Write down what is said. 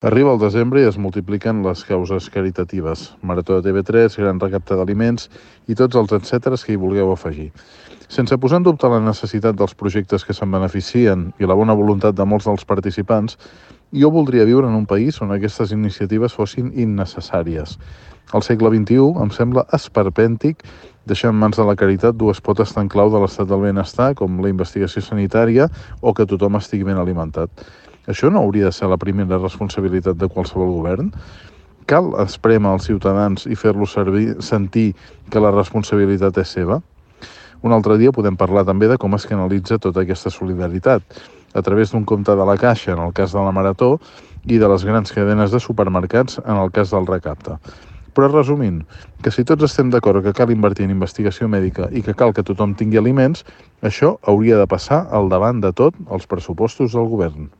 Arriba el desembre i es multipliquen les causes caritatives. Marató de TV3, gran recapte d'aliments i tots els etcèteres que hi vulgueu afegir. Sense posar en dubte la necessitat dels projectes que se'n beneficien i la bona voluntat de molts dels participants, jo voldria viure en un país on aquestes iniciatives fossin innecessàries. Al segle XXI em sembla esperpèntic deixar en mans de la caritat dues potes tan clau de l'estat del benestar com la investigació sanitària o que tothom estigui ben alimentat. Això no hauria de ser la primera responsabilitat de qualsevol govern? Cal esprémer els ciutadans i fer-los sentir que la responsabilitat és seva? Un altre dia podem parlar també de com es canalitza tota aquesta solidaritat, a través d'un compte de la Caixa, en el cas de la Marató, i de les grans cadenes de supermercats, en el cas del recapte. Però resumint, que si tots estem d'acord que cal invertir en investigació mèdica i que cal que tothom tingui aliments, això hauria de passar al davant de tot els pressupostos del govern.